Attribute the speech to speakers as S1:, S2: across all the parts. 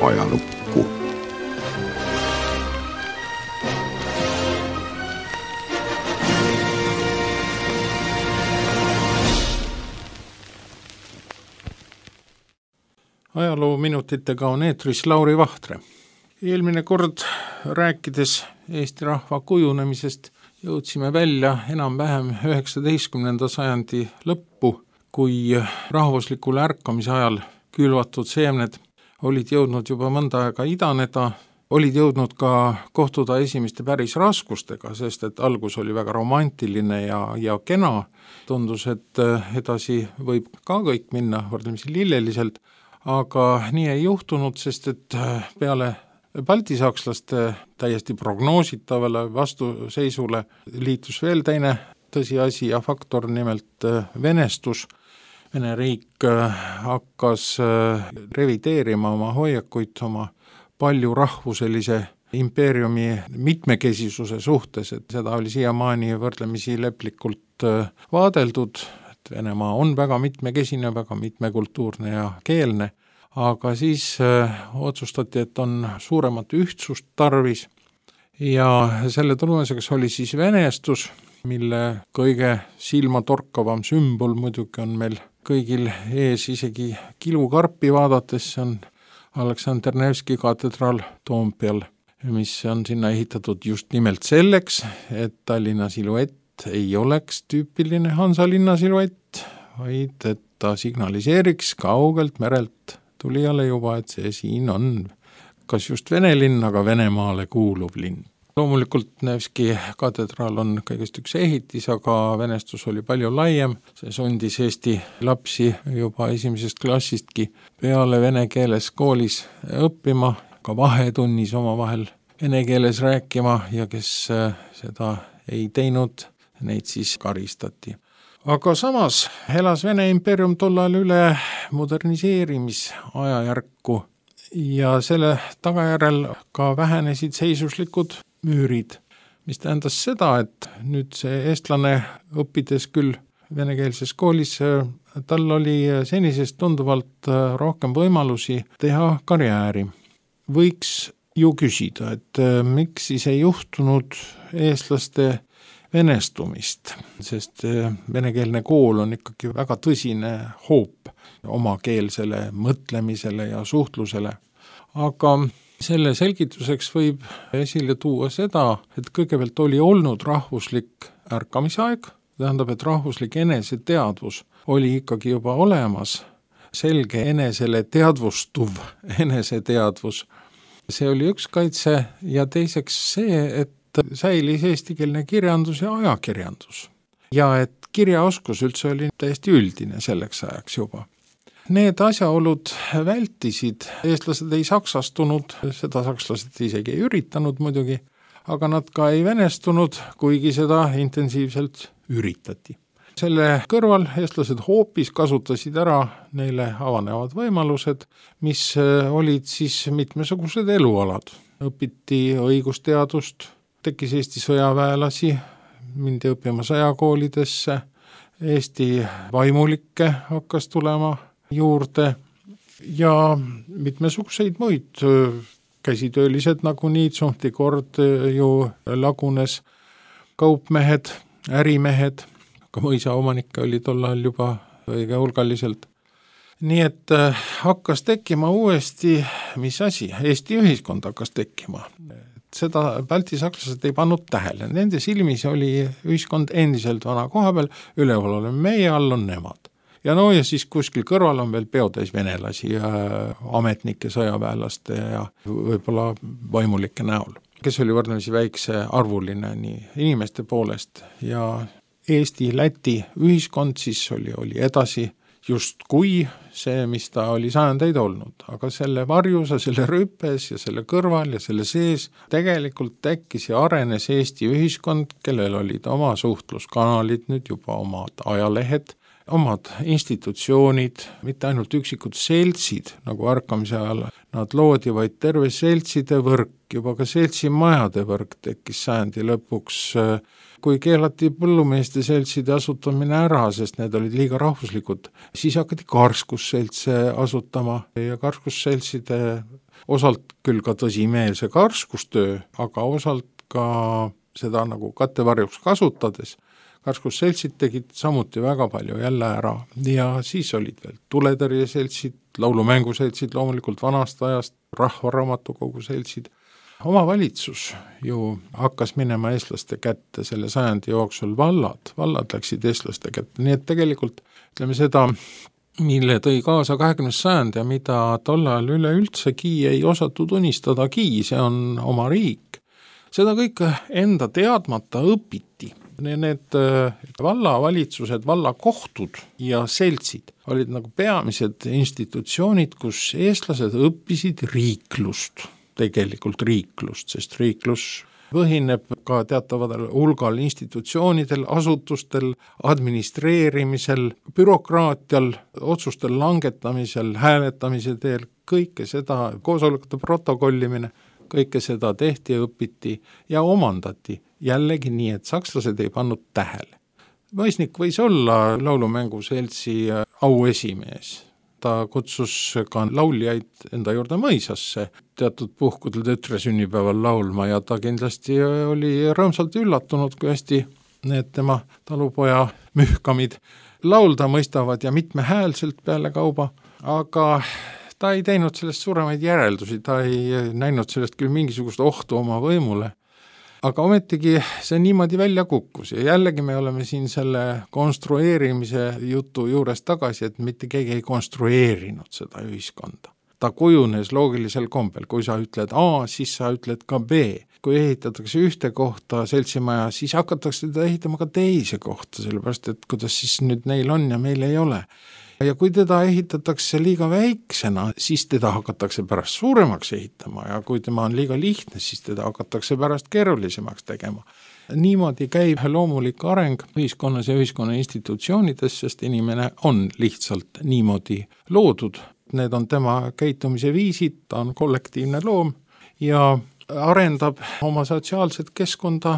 S1: ajalukku.
S2: Ajaloominutitega on eetris Lauri Vahtre. Eelmine kord rääkides Eesti rahva kujunemisest jõudsime välja enam-vähem 19. sajandi lõppu, kui rahvuslikule ärkamise ajal külvatud seemned olid jõudnud juba mõnda aega idaneda, olid jõudnud ka kohtuda esimeste päris raskustega, sest et algus oli väga romantiline ja kena. Tundus, et edasi võib ka kõik minna võrdlemisi lilleliselt, aga nii ei juhtunud, sest et peale baltisakslaste täiesti prognoositavale vastuseisule liitus veel teine tõsiasi ja faktor, nimelt venestus. Vene riik hakkas revideerima oma hoiakuid oma palju rahvuselise impeeriumi mitmekesisuse suhtes, et seda oli siiamaani võrdlemisi leplikult vaadeldud. Venemaa on väga mitmekesine, väga mitmekultuurne ja keelne, aga siis otsustati, et on suuremat ühtsust tarvis ja selle tulemuseks oli siis venestus, mille kõige silmatorkavam sümbol muidugi on meil kõigil ees, isegi kilukarpi vaadates, see on Aleksandr Nevski katedraal Toompeal, mis on sinna ehitatud just nimelt selleks, et Tallinna siluett ei oleks tüüpiline Hansalinna siluett, vaid et ta signaliseeriks kaugelt merelt tulijale juba, et see siin on kas just Vene linn, aga Venemaale kuuluv linn. Loomulikult Nevski katedraal on kõigest üks ehitis, aga venestus oli palju laiem. See sundis Eesti lapsi juba esimesest klassistki peale vene keeles koolis õppima, ka vahetunnis omavahel vene keeles rääkima ja kes seda ei teinud, neid siis karistati. Aga samas elas Vene impeerium tollal üle moderniseerimisajajärku ja selle tagajärjel ka vähenesid seisuslikud müürid, mis tähendas seda, et nüüd see eestlane õppides küll venekeelses koolis, tal oli senisest tunduvalt rohkem võimalusi teha karjääri. Võiks ju küsida, et miks siis ei juhtunud eestlaste venestumist, sest venekeelne kool on ikkagi väga tõsine hoop omakeelsele mõtlemisele ja suhtlusele. Aga selle selgituseks võib esile tuua seda, et kõigepealt oli olnud rahvuslik ärkamisaeg, tähendab, et rahvuslik eneseteadvus oli ikkagi juba olemas, selge enesele teadvustuv eneseteadvus. See oli üks kaitse ja teiseks see, et säilis eestikeelne kirjandus ja ajakirjandus. Ja et kirjaoskus üldse oli täiesti üldine selleks ajaks juba. Need asjaolud vältisid, eestlased ei saksastunud, seda sakslased isegi ei üritanud muidugi, aga nad ka ei venestunud, kuigi seda intensiivselt üritati. Selle kõrval eestlased hoopis kasutasid ära neile avanevad võimalused, mis olid siis mitmesugused elualad. Õpiti õigusteadust, tekkis Eesti sõjaväelasi, mindi õppima sõjakoolidesse, Eesti vaimulikke hakkas tulema juurde ja mitmesuguseid muid käsitöölised nagu Niitsumti kord ju lagunes, kaupmehed, ärimehed, ka mõisaomanikke oli tollal juba õige hulgaliselt. Nii et hakkas tekkima uuesti, mis asi, Eesti ühiskond hakkas tekkima. Seda baltisakslased ei pannud tähele. Nende silmis oli ühiskond endiselt vana koha peal, üleval oleme meie, all on nemad. Ja siis kuskil kõrval on veel peotäis venelasi ja ametnike, sõjaväelaste ja võib-olla vaimulike näol, kes oli võrdlemisi väikse arvuline nii inimeste poolest ja Eesti-Läti ühiskond siis oli edasi just kui see, mis ta oli sajandeid olnud, aga selle varjus ja selle rüpes ja selle kõrval ja selle sees tegelikult tekkis ja arenes Eesti ühiskond, kellel olid oma suhtluskanalid, nüüd juba omad ajalehed, omad institutsioonid, mitte ainult üksikud seltsid, nagu ärkamise ajal nad loodi, vaid terve seltside võrk, juba ka seltsimajade võrk tekkis sajandi lõpuks, kui keelati põllumeeste seltside asutamine ära, sest need olid liiga rahvuslikud, siis hakati karskusseltse asutama ja karskusseltside osalt küll ka tõsimeelse karskustöö, aga osalt ka seda nagu kattevarjuks kasutades. Karskusseltsid tegid samuti väga palju jälle ära ja siis olid veel tuletõrjeseltsid, laulumänguseltsid, loomulikult vanast ajast, rahvaraamatukogu seltsid. Omavalitsus ju hakkas minema eestlaste kätte selle sajandi jooksul, vallad läksid eestlaste kätte, nii et tegelikult ütleme seda, mille tõi kaasa 20. sajand ja mida tollal üleüldsegi ei osatud unistadagi, see on oma riik. Seda kõike enda teadmata õpiti. Need vallavalitsused, vallakohtud ja seltsid olid nagu peamised institutsioonid, kus eestlased õppisid riiklust, tegelikult riiklust, sest riiklus põhineb ka teatavadel hulgal institutsioonidel, asutustel, administreerimisel, bürokraatial, otsustel langetamisel, hääletamise teel, kõike seda, koosolekute protokollimine, kõike seda tehti ja õpiti ja omandati jällegi nii, et sakslased ei pannud tähele. Mõisnik võis olla laulumänguseltsi auesimees. Ta kutsus ka lauljaid enda juurde mõisasse teatud puhkudel tütre sünnipäeval laulma ja ta kindlasti oli rõõmsalt üllatunud, kui hästi need tema talupoja mühkamid laulda mõistavad ja mitmehäälselt peale kauba, aga ta ei teinud sellest suuremaid järeldusi, ta ei näinud sellest küll mingisugust ohtu oma võimule, aga ometigi see niimoodi välja kukkus ja jällegi me oleme siin selle konstrueerimise jutu juures tagasi, et mitte keegi ei konstrueerinud seda ühiskonda. Ta kujunes loogilisel kombel, kui sa ütled A, siis sa ütled ka B. Kui ehitatakse ühte kohta seltsimaja, siis hakatakse teda ehitama ka teise kohta, sellepärast et kuidas siis nüüd neil on ja meil ei ole. Ja kui teda ehitatakse liiga väiksena, siis teda hakatakse pärast suuremaks ehitama ja kui tema on liiga lihtne, siis teda hakatakse pärast keerulisemaks tegema. Niimoodi käib loomulik areng ühiskonnas ja ühiskonna institutsioonides, sest inimene on lihtsalt niimoodi loodud. Need on tema käitumise viisid, ta on kollektiivne loom ja arendab oma sotsiaalset keskkonda,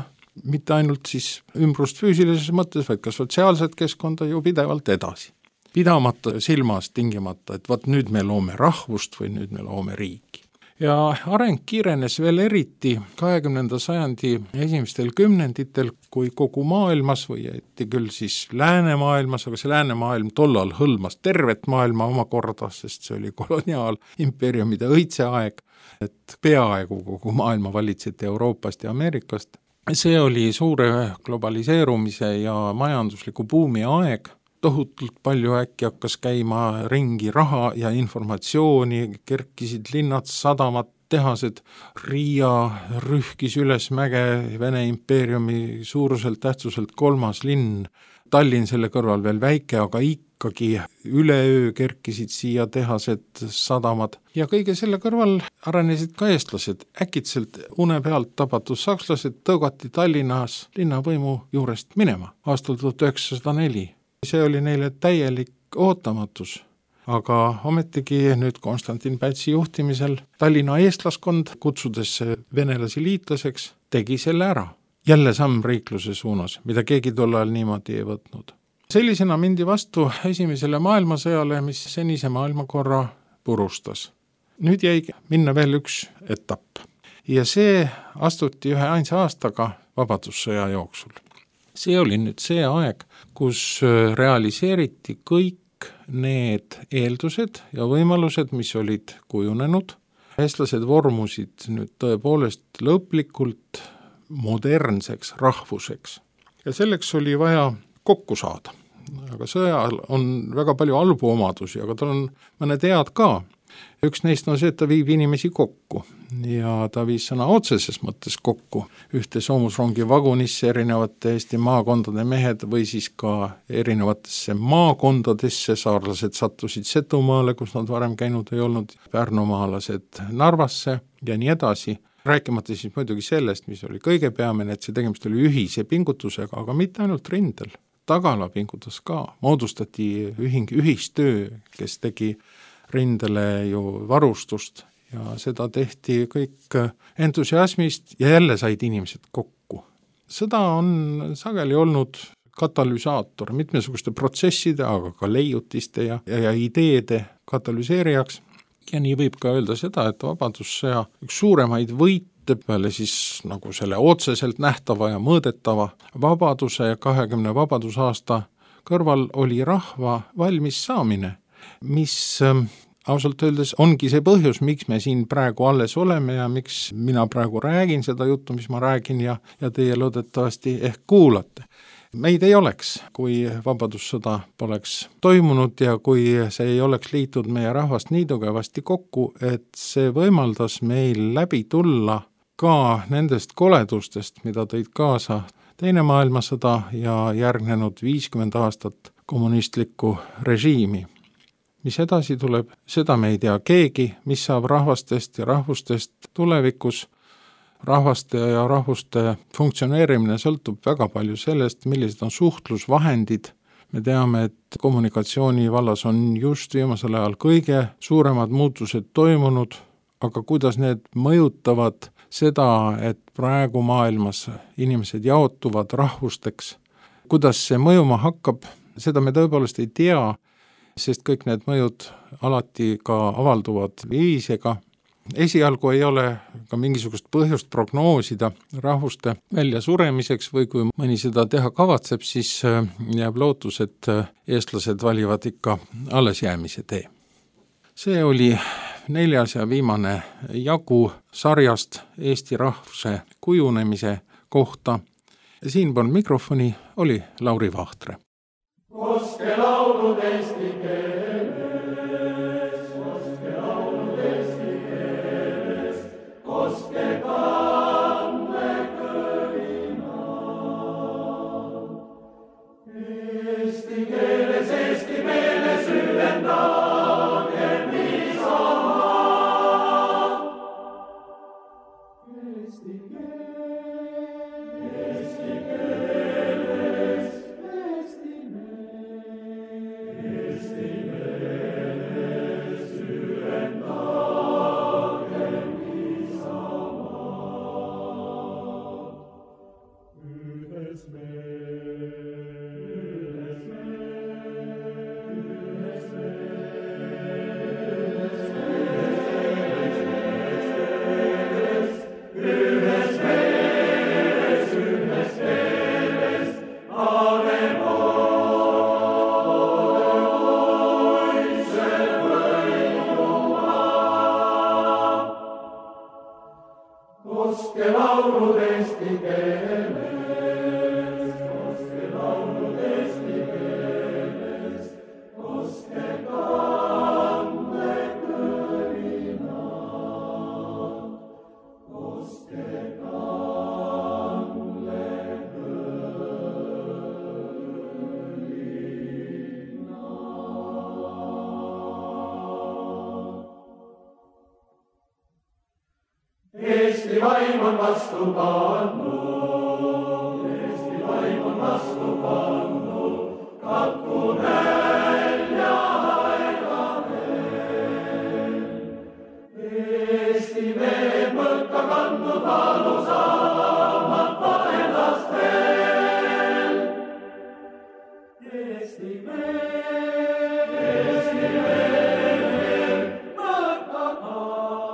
S2: mitte ainult siis ümbrust füüsilises mõttes, vaid ka sotsiaalset keskkonda ju pidevalt edasi. Pidamata silmas tingimata, et vaat nüüd me loome rahvust või nüüd me loome riiki. Ja areng kiirenes veel eriti 20. sajandi esimestel kümnenditel, kui kogu maailmas või ette küll siis läänemaailmas, aga see läänemaailm tollal hõlmas tervet maailma omakorda, sest see oli koloniaalimpeeriumide õitseaeg, et peaaegu kogu maailma valitseti Euroopast ja Ameerikast. See oli suure globaliseerumise ja majandusliku buumi aeg, tohutult palju äkki hakkas käima ringi raha ja informatsiooni, kerkisid linnad, sadamad, tehased, Riia rühkis üles mäge, Vene impeeriumi suuruselt tähtsuselt 3. linn, Tallinn selle kõrval veel väike, aga ikkagi üleöö kerkisid siia tehased, sadamad ja kõige selle kõrval arenesid ka eestlased. Äkitselt une pealt tabatud sakslased tõugati Tallinnas linnavõimu juurest minema aastal 1904. See oli neile täielik ootamatus, aga ometigi nüüd Konstantin Pätsi juhtimisel Tallinna eestlaskond, kutsudes venelasi liitlaseks, tegi selle ära. Jälle samm riikluse suunas, mida keegi tol ajal niimoodi ei võtnud. Sellisena mindi vastu esimesele maailmasõjale, mis senise maailmakorra purustas. Nüüd jäi minna veel üks etapp ja see astuti ühe ainsa aastaga vabadussõja jooksul. See oli nüüd see aeg, kus realiseeriti kõik need eeldused ja võimalused, mis olid kujunenud. Eestlased vormusid nüüd tõepoolest lõplikult modernseks rahvuseks. Ja selleks oli vaja kokku saada. Aga sõjal on väga palju halbu omadusi, aga tal on mõned head ka. Üks neist on see, et ta viib inimesi kokku ja ta viis sõna otseses mõttes kokku ühte soomusrongi vagunisse erinevate Eesti maakondade mehed või siis ka erinevatesse maakondadesse, saarlased sattusid Setumaale, kus nad varem käinud ei olnud, pärnumaalased Narvasse ja nii edasi. Rääkimata siis muidugi sellest, mis oli kõige peamine, et see tegemist oli ühise pingutusega, aga mitte ainult rindel. Tagala pingutas ka, moodustati ühistöö, kes tegi rindele ju varustust ja seda tehti kõik entusiasmist ja jälle said inimesed kokku. Sõda on sageli olnud katalüsaator mitmesuguste protsesside, aga ka leiutiste ja ideede katalüseerijaks Ja nii võib ka öelda seda, et vabadussõja üks suuremaid võite peale siis nagu selle otseselt nähtava ja mõõdetava vabaduse ja 20 vabadusaasta kõrval oli rahva valmis saamine, mis ausalt öeldes ongi see põhjus, miks me siin praegu alles oleme ja miks mina praegu räägin seda juttu, mis ma räägin ja teie loodetavasti ehk kuulate. Meid ei oleks, kui vabadussõda poleks toimunud ja kui see ei oleks liitud meie rahvast nii tugevasti kokku, et see võimaldas meil läbi tulla ka nendest koledustest, mida tõid kaasa Teine maailmasõda ja järgnenud 50 aastat kommunistlikku režiimi. Mis edasi tuleb, seda me ei tea keegi, mis saab rahvastest ja rahvustest tulevikus. Rahvaste ja rahvuste funktsioneerimine sõltub väga palju sellest, millised on suhtlusvahendid. Me teame, et kommunikatsiooni vallas on just viimasel ajal kõige suuremad muutused toimunud, aga kuidas need mõjutavad seda, et praegu maailmas inimesed jaotuvad rahvusteks, kuidas see mõjuma hakkab, seda me tõepoolest ei tea, sest kõik need mõjud alati ka avalduvad viisega. Esialgu ei ole ka mingisugust põhjust prognoosida rahvuste väljasuremiseks või kui mõni seda teha kavatseb, siis jääb lootus, et eestlased valivad ikka allesjäämise tee. See oli 4. ja viimane jagu sarjast Eesti rahvuse kujunemise kohta. Siinpool mikrofoni oli Lauri Vahtre. Koske laulud eesti keeles, koske laulud eesti keeles, koske kanne kõlina. Eesti meeles ühendage Isamaa. Eesti keeles, koske laulud eesti keeles, koske laulud eesti keeles, koske kanne kõlina, koske kanne kõlina. Eesti vaim on vastu pannud, Eesti vaim on vastu pannud, katku nälja aegadel. Eesti mehed mõlka kandnud valusamata endastel. Eesti mehed mõlka kandnud